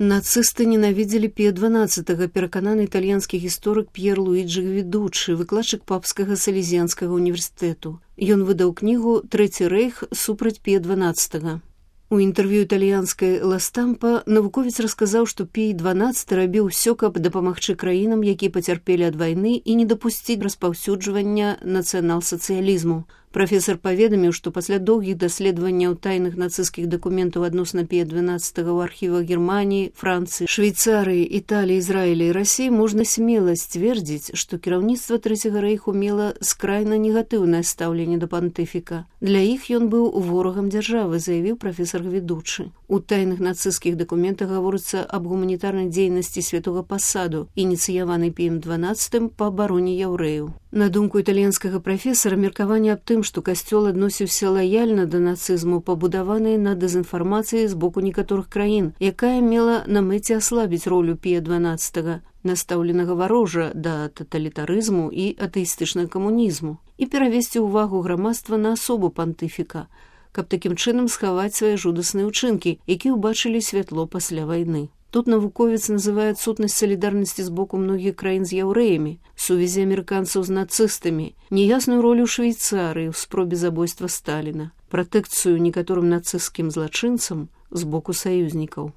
Нацысты ненавідзелі Пія XII, перакананы італьянскі гісторык П'ер Луіджі Гвідучы, выкладчык папскага салезіянскага універсітэту. Ён выдаў кнігу «Трэці рэйх супраць Пія XII». У інтэрв'ю італьянскай «Ла Стампа» навуковец расказаў, што Пій XII рабіў усё, каб дапамагчы краінам, якія пацярпелі ад вайны, і не дапусціць распаўсюджвання нацыянал-сацыялізму. Прафесар паведаміў, што пасля доўгіх даследаванняў тайных нацысцкіх дакументаў адносна Пія XII ў архівах Германіі, Францыі, Швейцарыі, Італіі, Ізраіля і Расіі можна смела сцвердзіць, што кіраўніцтва Трэцяга рэйху мела скрайна негатыўнае стаўленне да пантыфіка. Для іх ён быў ворагам дзяржавы, заявіў прафесар Гвідучы. У тайных нацысцкіх дакументах гаворыцца аб гуманітарнай дзейнасці святога пасаду, ініцыяванай Піем XII па абароне яўрэяў. На думку італьянскага прафесара, меркаванне аб тым, што касцёл адносіўся лаяльна да нацызму, пабудаваныя на дэзінфармацыі з боку некаторых краін, якая мела на мэце аслабіць ролю Пія XII, настаўленага варожа да таталітарызму і атэістычнага камунізму, і перавесці ўвагу грамадства на асобу пантыфіка, каб такім чынам схаваць свае жудасныя ўчынкі, якія ўбачылі святло пасля вайны. Тут навуковец называе адсутнасць салідарнасці з боку многіх краін з яўрэямі, сувязі амерыканцаў з нацыстамі, неясную ролю Швейцарыі ў спробе забойства Сталіна, пратэкцыю некаторым нацысцкім злачынцам з боку саюзнікаў.